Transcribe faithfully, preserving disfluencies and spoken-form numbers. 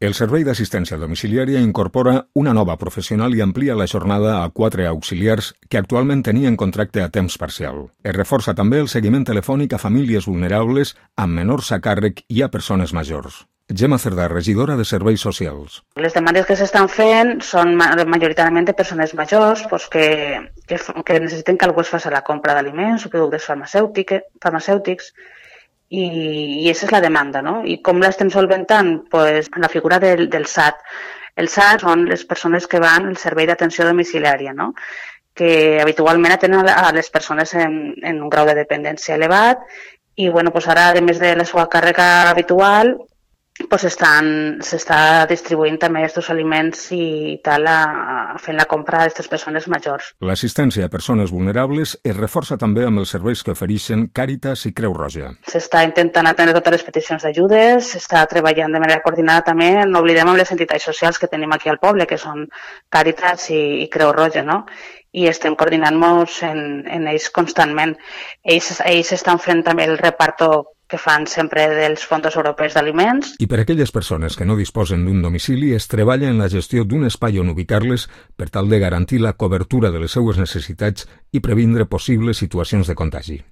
El Servei d'Assistència Domiciliària incorpora una nova professional i amplia la jornada a quatre auxiliars que actualment tenien contracte a temps parcial. Es reforça també el seguiment telefònic a famílies vulnerables amb menors a càrrec i a persones majors. Gemma Cerdà, regidora de Serveis Socials. Les demandes que s'estan fent són majoritàriament de persones majors doncs que, que, que necessiten que algú es faci la compra d'aliments o productes farmacèutics i, i aquesta és la demanda, no? I com l'estem solventant? Pues, la figura del, del S A T. El S A T són les persones que van al servei d'atenció domiciliària, no? Que habitualment atenen a les persones en, en un grau de dependència elevat i bueno, pues ara, a més de la seva càrrega habitual, pues s'està distribuint també aquests aliments i tal, a, a fent la compra d'aquestes persones majors. L'assistència a persones vulnerables es reforça també amb els serveis que ofereixen Càritas i Creu Roja. S'està intentant atendre totes les peticions d'ajudes, s'està treballant de manera coordinada també, no oblidem amb les entitats socials que tenim aquí al poble, que són Càritas i, i Creu Roja, no? I estem coordinant-nos en, en ells constantment. Ells, ells estan fent també el reparto que fan sempre dels fons europeus d'aliments. I per a aquelles persones que no disposen d'un domicili es treballa en la gestió d'un espai on ubicar-les per tal de garantir la cobertura de les seues necessitats i previndre possibles situacions de contagi.